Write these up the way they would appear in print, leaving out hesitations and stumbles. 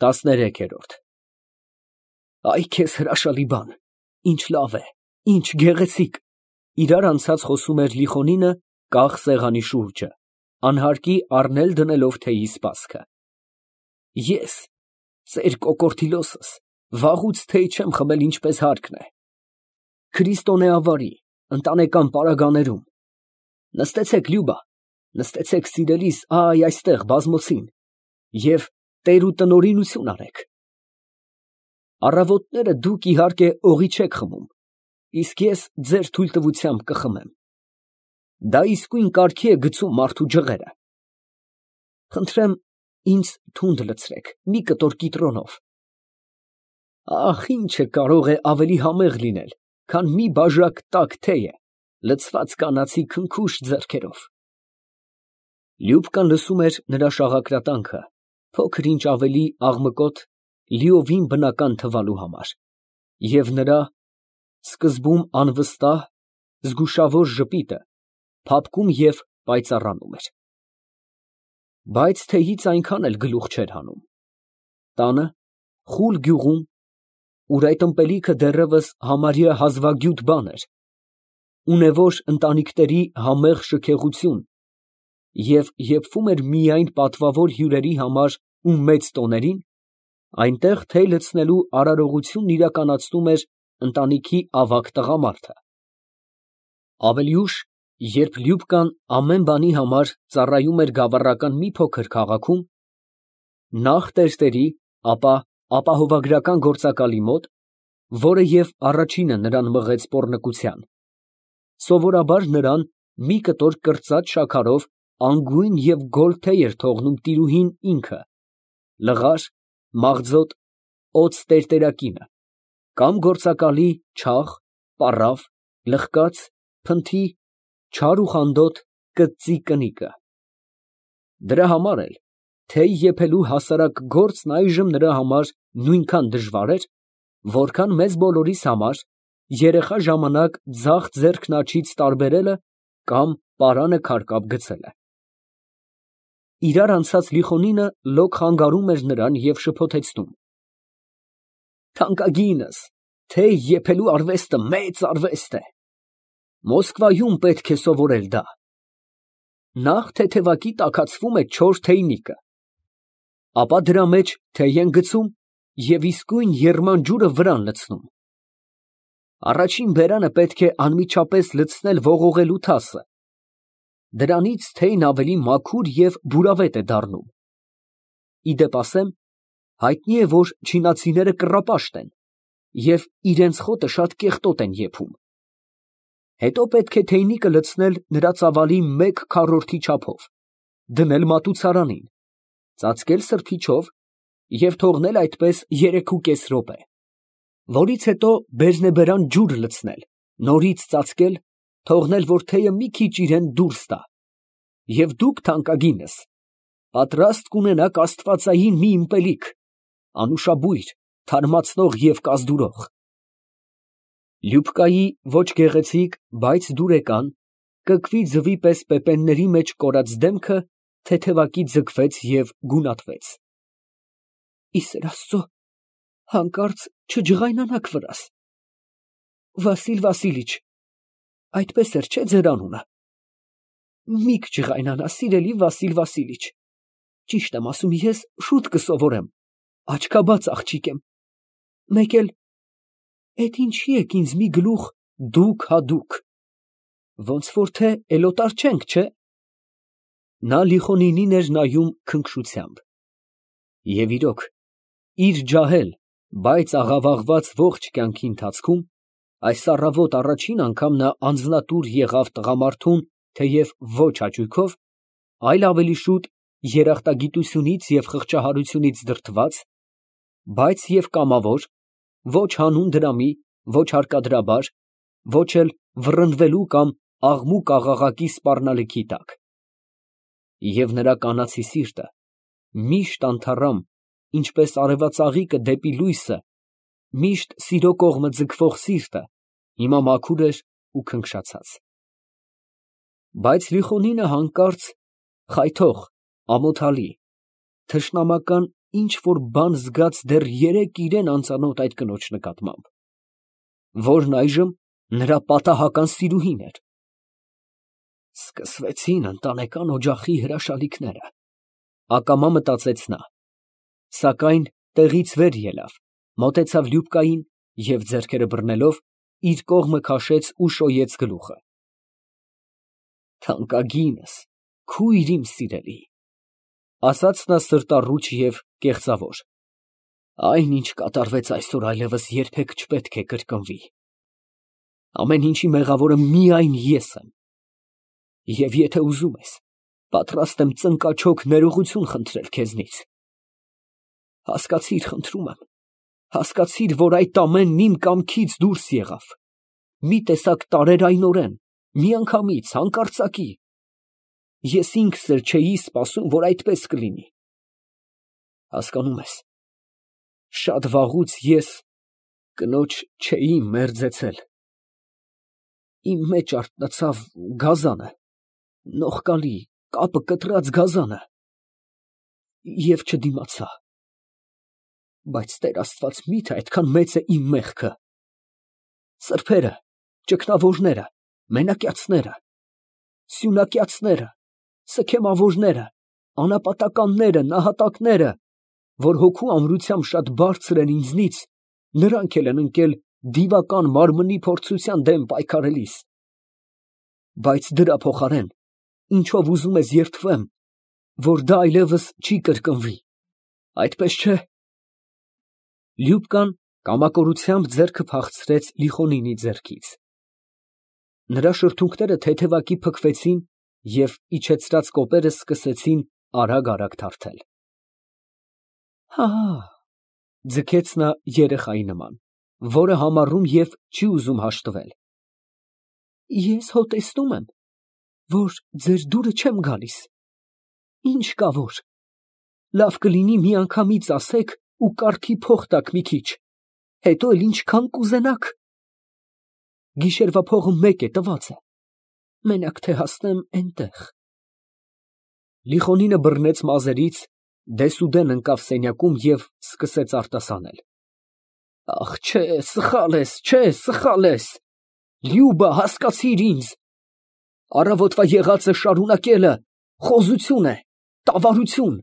13-րդ Այ քեզ հրաշալի բան, ինչ լավ է, ինչ գեղեցիկ, իրար անցած խոսում էր Լիխոնինը կախ սեղանի շուրջը, անհարկի առնել դնելով թեյի սպասքը։ Ես, ծեր կոկորդիլոսս, վաղուց թեյ չեմ խմել ինչպես հարկն է։ Քրիստոնեավարի, ընտանեկան պարագաներում։ Նստեցեք, Լյուբա, նստեցեք սիրելիս, այ այստեղ բազմոցին, և տեր ու տնօրինություն արեք։ Առավոտները դուք իհարկե օղի չեք խմում, իսկ ես ձեր թույլտվությամբ կխմեմ։ Դա իսկույն կարգի է գցում մարդու ջղերը։ Խնդրեմ, ինձ թունդ լցրեք, մի կտոր կիտրոնով։ Ախ, ինչը կարող է ավելի համեղ լինել, քան մի բաժակ տաք թեյը, լցված կանացի քնքուշ ձեռքերով։ Լյուբկան լսում էր նրա շաղակրատանքը, փոքր ինչ ավելի աղմկոտ, լիովին բնական թվալու համար, և նրա սկզբում անվստահ, զգուշավոր ժպիտը փափկում և պայծառանում էր։ Բայց թեյից այնքան էլ գլուխ չէր հանում։ Տանը, խուլ գյուղում, ուր այդ ըմպելիքը դեռևս համարյա հազվագյուտ բան էր, ունևոր ընտանիքների համեղ շքեղություն, և եփվում էր միայն պատվավոր հյուրերի համար ու մեծ տոներին, այնտեղ թեյ լցնելու արարողությունն իրականացնում էր ընտանիքի ավագ տղամարդը։ Ավելի ուշ, երբ Լյուբկան ամեն բանի համար ծառայում էր գավառական մի փոքր քաղաքում, նախ տերտերի, ապա ապահովագրական գործակալի մոտ, որը և առաջինը նրան մղեց պոռնկության, սովորաբար նրան մի կտոր կրծած շաքարով անգույն և գոլ թեյ էր թողնում տիրուհին ինքը, լղար, մաղձոտ, օձ տերտերակինը, կամ գործակալի չաղ, պառավ, լխկած, փնթի, չար ու խանդոտ կծծի կնիկը։ Դրա համար էլ թեյ եփելու հասարակ գործն այժմ նրա համար նույնքան դժվար էր, որքան մեզ բոլորիս համար երեխա ժամանակ ձախ ձեռքն աջից տարբերելը կամ պարանը քարկապ գցելը։ Իրար անցած Լիխոնինը լոկ խանգարում էր նրան և շփոթեցնում. Թանկագինս, թեյ եփելու արվեստը մեծ արվեստ է։ Մոսկվայում պետք է սովորել դա։ Նախ թեթևակի տաքացվում է չոր թեյնիկը, ապա դրա մեջ թեյ են գցում և իսկույն եռման ջուրը վրան լցնում։ Առաջին բերանը պետք է անմիջապես լցնել ողողելու թասը, դրանից թեյն ավելի մաքուր և բուրավետ է դառնում։ Ի դեպ ասեմ, հայտնի է, որ չինացիները կռապաշտ են և իրենց խոտը շատ կեղտոտ են եփում։ Հետո պետք է թեյնիկը լցնել նրա ծավալի 1/4 չափով, դնել մատուցարանին, ծածկել սրբիչով և թողնել այդպես 3.5 րոպե, որից հետո բերնեբերան ջուր լցնել, նորից ծածկել, թողնել, որ թեյը մի քիչ իրան դուրս տա, և դուք, թանկագինս, պատրաստ կունենաք աստվածային մի ըմպելիք, անուշաբույր, թարմացնող և կազդուրող։ Լյուբկայի ոչ գեղեցիկ, բայց դուրեկան, կկվի ձվի պես պեպենների մեջ կորած դեմքը թեթևակի ձգվեց և գունատվեց։ Ի սեր Աստծո, հանկարծ չջղայնանաք վրաս։ Վասիլ Վասիլիչ, այդպես էր, չէ՞ ձեր անունը։ Մի կջղայնանա, սիրելի Վասիլ Վասիլիչ, ճիշտ եմ ասում, ես շուտ կսովորեմ, աչքաբաց աղջիկ եմ, մեկ էլ, էդ ինչի եք ինձ մի գլուխ դուք հա դուք, ոնց որ թե էլոտար չենք, չէ։ Նա Լիխոնինին էր նայում քնքշությամբ։ Եվ իրոք, իր ջահել, բայց աղավաղված ողջ կյանքի ընթացքում այս առավոտ առաջին անգամ նա անձնատուր եղավ տղամարդուն, թեև ոչ հաճույքով, այլ ավելի շուտ երախտագիտությունից և խղճահարությունից դրդված, բայց և կամավոր, ոչ հանուն դրամի, ոչ հարկադրաբար, ոչ էլ վռնդվելու կամ աղմուկ֊աղաղակի սպառնալիքի տակ։ Եվ նրա կանացի սիրտը միշտ անթառամ, ինչպես արևածաղիկը դեպի լույսը, միշտ սիրո կողմը ձգվող սիրտը, հիմա մաքուր էր ու քնքշացած։ Բայց Լիխոնինը հանկարծ խայթող, ամոթալի, թշնամական ինչ որ բան զգաց դեռ երեկ իրան անծանոթ այդ կնոջ նկատմամբ, որն այժմ նրա պատահական սիրուհին էր։ Սկսվեցին ընտանեկան օջախի հրաշալիքները, ակամա մտածեց նա, սակայն տեղից վեր ելավ, մոտեցավ Լյուբկային և ձեռքերը բռնելով իր կողմը քաշեց ու շոյեց գլուխը։ Թանկագինս, քույր իմ սիրելի, ասաց նա սրտառուչ և կեղծավոր, այն, ինչ կատարվեց այսօր, այլևս երբեք չպետք է կրկնվի։ Ամեն ինչի մեղավորը միայն ես եմ, և եթե ուզում ես, պատրաստ եմ ծնկաչոք ներողություն խնդրել քեզնից։ Հասկացիր, խնդրում եմ, հասկացիր, որ այդ ամենն իմ կամքից դուրս եղավ, մի տեսակ տարերայնորեն, միանգամից, հանկարծակի։ Ես ինքս էլ չէի սպասում, որ այդպես կլինի։ Հասկանում ես, շատ վաղուց ես կնոջ չէի մերձեցել։ Իմ մեջ արթնացավ գազանը, նողկալի, կապը կտրած գազանը, և չդիմացա։ Բայց Տեր Աստված, մի՞թե այդքան մեծ է իմ մեղքը։ Սրբերը, ճգնավորները, մենակյացները, սյունակյացները, սքեմավորները, անապատականները, նահատակները, որ հոգու ամրությամբ շատ բարձր են ինձնից, նրանք էլ են ընկել դիվական մարմնի փորձության դեմ պայքարելիս։ Բայց դրա փոխարեն, ինչով ուզում ես երդվեմ, որ դա այլևս չի կրկնվի, այդպես չէ։ Լյուբկան կամակորությամբ ձեռքը փախցրեց Լիխոնինի ձեռքից։ Նրա շրթունքները թեթևակի փքվեցին և իջեցրած կոպերը սկսեցին արագ թարթել։ Հա, ձգեց նա երեխայի նման, որը համառում և չի ուզում հաշտվել։ Ես հո տեսնում եմ, որ ձեր դուրը չեմ գալիս։ Ինչ կա որ։ Լավ կլինի միանգամից ասեք ու կառքի փող տաք մի քիչ, հետո էլ ինչքան կուզենաք։ Գիշերվա փողը մեկ է, տված է, մենակ թե հասնեմ էնտեղ։ Լիխոնինը բռնեց մազերից, դեսուդեն ընկավ սենյակում և սկսեց արտասանել։ Ախ, չէ, սխալ ես, չէ, սխալ ես։ Լյուբա, հասկացիր ինձ։ Առավոտվա եղածը շարունակելը խոզություն է, տավարություն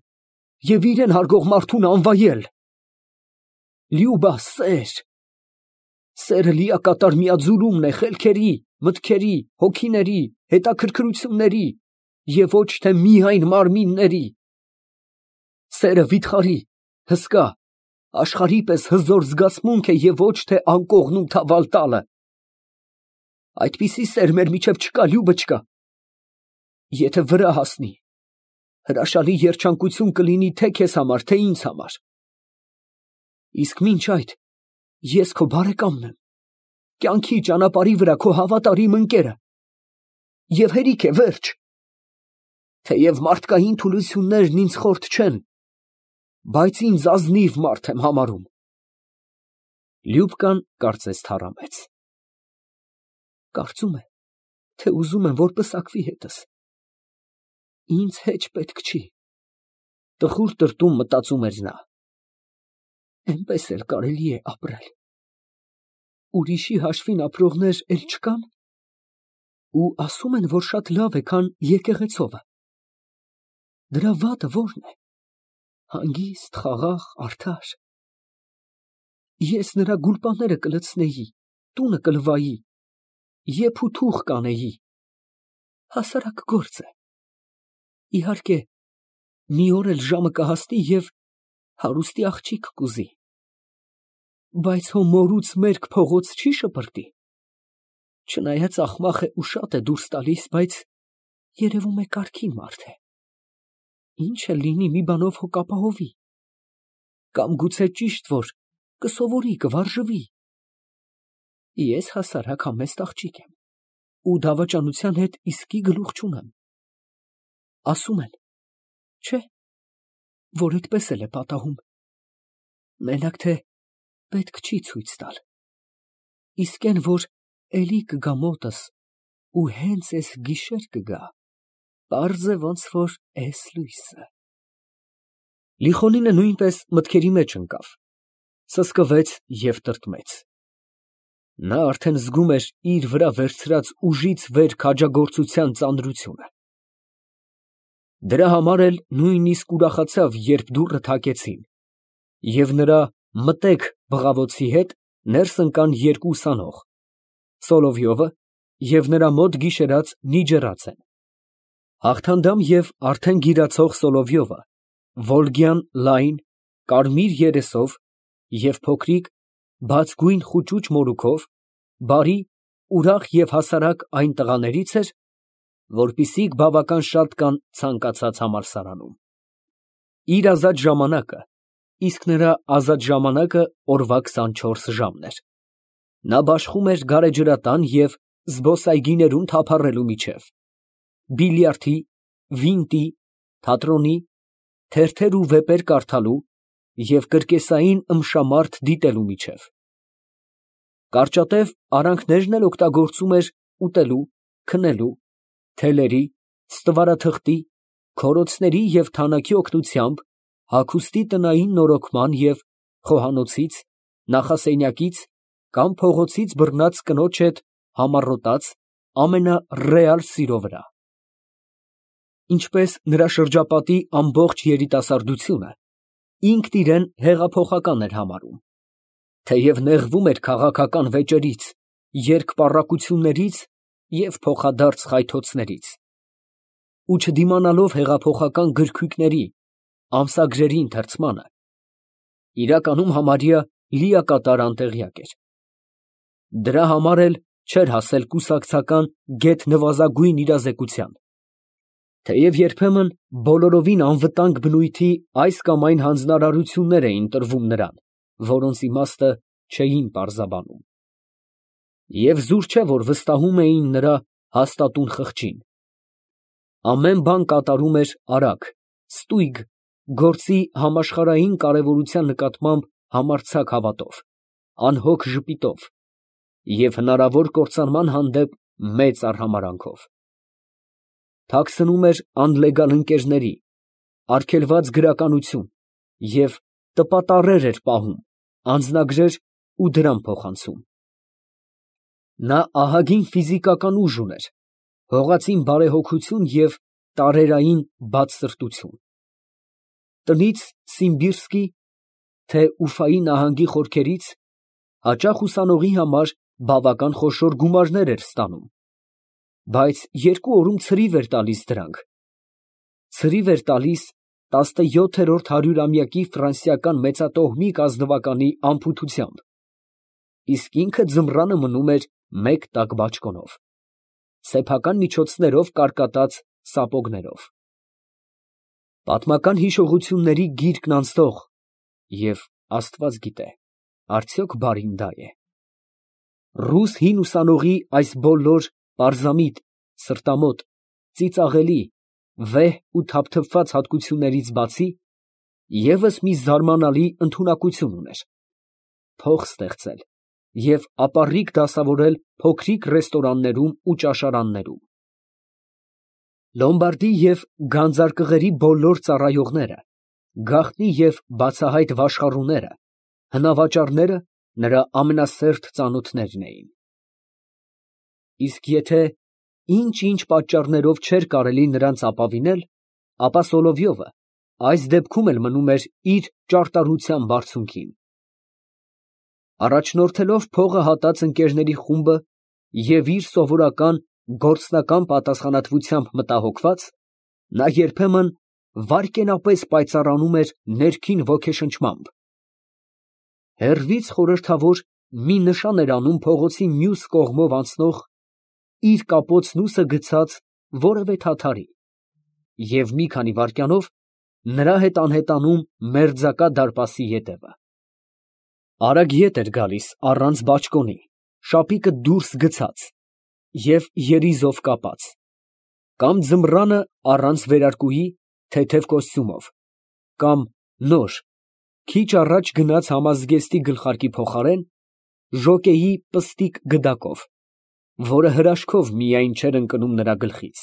և իրեն հարգող մարդուն անվայել։ Լյուբա, սեր։ Սերը լիակատար միաձուլումն է խելքերի, մտքերի, հոգիների, հետաքրքրությունների և ոչ թե միայն մարմինների։ Սերը վիթխարի, հսկա, աշխարհի պես հզոր զգացմունք է և ոչ թե անկողնում թավալ տալը։ Այդպիսի սեր մեր միջև չկա, Լյուբոչկա։ Եթե վրա հասնի, հրաշալի երջանկություն կլինի թե քեզ համար, թե ինձ համար։ Իսկ մինչ այդ ես քո բարեկամն եմ, կյանքի ճանապարհի վրա քո հավատարիմ ընկերը։ Եվ հերիք է, վերջ։ Թեև մարդկային թուլություններն ինձ խորթ չեն, բայց ինձ ազնիվ մարդ եմ համարում։ Լյուբկան կարծես թառամեց։ Կարծում է, թե ուզում եմ, որ պսակվի հետս։ Ինձ հեչ պետք չի։ Տխուր տրտում մտածում էր նա։ Էնպես էլ կարելի է ապրել։ Ուրիշի հաշվին ապրողներ էլ չկան։ Ու ասում են, որ շատ լավ է, քան եկեղեցովը։ Դրա վատը ո՞րն է։ Հանգիստ, խաղաղ, արդար։ Ես նրա գուլպաները կլցնեի, տունը կլվայի, եփ ու թուղ կանեի։ Հասարակ գործ է։ Իհարկե, մի օր էլ ժամը կհասնի և հարուստի աղջիկ կուզի։ Բայց հո մորուց մերկ փողոց չի շպրտի։ Չնայած աղմախ է ու շատ է դուրս տալիս, բայց երևում է կարգին մարդ է։ Ինչ էլ լինի, մի բանով հո կապահովի։ Կամ գուցե ճիշտ որ կսովորի, կվարժվի։ Ես հասարակ համեստ աղջիկ եմ ու դավաճանության հետ իսկի գլուխ չունեմ։ Ասում են, չէ, որ այդպես էլ է պատահում։ Մենակ թե պետք չի ցույց տալ։ Իսկ այն որ էլի կգա մոտս ու հենց էս գիշեր կգա, պարզ է ոնց որ էս լույսը։ Լիխոնինը նույնպես մտքերի մեջ ընկավ, սսկվեց և տրտմեց։ Նա արդեն զգում էր իր վրա վերցրած ուժից վեր քաջագործության ծանրությունը։ Դրա համար էլ նույնիսկ ուրախացավ, երբ դուռը թակեցին, և նրա մտեք բղավոցի հետ ներս ընկան երկու ուսանող, Սոլովյովը և նրա մոտ գիշերած Նիջեռացեն։ Հաղթանդամ և արդեն գիրացող Սոլովյովը վոլգյան լայն, կարմիր երեսով և փոքրիկ, բաց գույն խուճուճ մորուքով, բարի, ուրախ և հասարակ այն տղաներից էր, որպիսիք բավական շատ կան ցանկացած համալսարանում։ Իր ազատ ժամանակը, իսկ նրա ազատ ժամանակը օրվա 24 ժամն էր, նա բաշխում էր գարեջրատան և զբոսայգիներում թափառելու միջև, բիլիարդի, վինտի, թատրոնի, թերթեր ու վեպեր կարդալու և կրկեսային ըմբշամարդ դիտելու միջև։ Կարճատև արանքներն էլ օգտագործում էր ուտելու, քնելու, թելերի, ստվարաթղթի, քորոցների և թանաքի օգնությամբ հագուստի տնային նորոգման և խոհանոցից, նախասենյակից կամ փողոցից բռնած կնոջ հետ համառոտած ամենառեալ սիրո վրա։ Ինչպես նրա շրջապատի ամբողջ երիտասարդությունը, ինքն իրեն հեղափոխական էր համարում, թեև նեղվում էր քաղաքական վեճերից, երկպառակություններից և փոխադարձ խայթոցներից, ու չդիմանալով հեղափոխական գրքույկների, ամսագրերի ընթերցմանը, իրականում համարյա լիակատար անտեղյակ էր։ Դրա համար էլ չէր հասել կուսակցական գեթ նվազագույն իրազեկության, թեև երբեմն բոլորովին անվտանգ բնույթի այս կամ այն հանձնարարություններ էին տրվում նրան, որոնց իմաստը չէին պարզաբանում։ Եվ զուր չէ, որ վստահում էին նրա հաստատուն խղճին։ Ամեն բան կատարում էր արագ, ստույգ, գործի համաշխարհային կարևորության նկատմամբ համարձակ հավատով, անհոգ ժպիտով և հնարավոր կործանման հանդեպ մեծ արհամարհանքով։ Թաքցնում էր անլեգալ ընկերների, արգելված գրականություն և տպատառեր էր պահում, անձնագրեր ու դրամ փոխանցում։ Նա ահագին ֆիզիկական ուժ ուներ, հողածին բարեհոգություն և տարերային բացսրտություն։ Տնից Սիմբիրսկի, թե Ուֆայի նահանգի խորքերից հաճախ ուսանողի համար բավական խոշոր գումարներ էր ստանում, բայց 2 օրում ցրիվ էր տալիս դրանք, ցրիվ էր տալիս 17-րդ հարյուրամյակի ֆրանսիական մեծատոհմիկ ազնվականի անփութությամբ, իսկ ինքը ձմռանը մնում էր մեկ տակ բաճկոնով, սեփական միջոցներով կարկատած սապոգներով։ Պատմական հիշողությունների գիրկն անցնող և Աստված գիտե, արդյոք բարին դա է։ Ռուս հին ուսանողի այս բոլոր պարզամիտ, սրտամոտ, ծիծաղելի, վեհ ու թափթփված հատկություններից բացի, ևս մի զարմանալի ընդունակություն ուներ. փող ստեղծել և ապառիկ դասավորել փոքրիկ ռեստորաններում ու ճաշարաններում։ Լոմբարդի և գանձարկղերի բոլոր ծառայողները, գաղտնի և բացահայտ վաշխառուները, հնավաճառները նրա ամենասերտ ծանոթներն էին։ Իսկ եթե ինչ պատճառներով չէր կարելի նրանց ապավինել, ապա Սոլովյովը այս դեպքում էլ մնում էր իր ճարտարության բարձունքին։ Առաջնորդելով փողը հատած ընկերների խումբը և իր սովորական գործնական պատասխանատվությամբ մտահոգված, նա երբեմն վայրկենապես պայծառանում էր ներքին ոգեշնչմամբ։ Հեռվից խորհրդավոր մի նշան էր անում փողոցի մյուս կողմով անցնող, իր կապոցնուսը գցած որևէ թաթարի, և մի քանի վայրկյանով նրա հետ անհետանում մերձակա դարպասի ետևը։ Արագ ետ էր գալիս առանց բաճկոնի, շապիկը դուրս գցած և երիզով կապած, կամ ձմռանը առանց վերարկուի, թեթև կոստյումով, կամ նոր, քիչ առաջ գնած համազգեստի գլխարկի փոխարեն ժոկեի պստիկ գդակով, որը հրաշքով միայն չէր ընկնում նրա գլխից։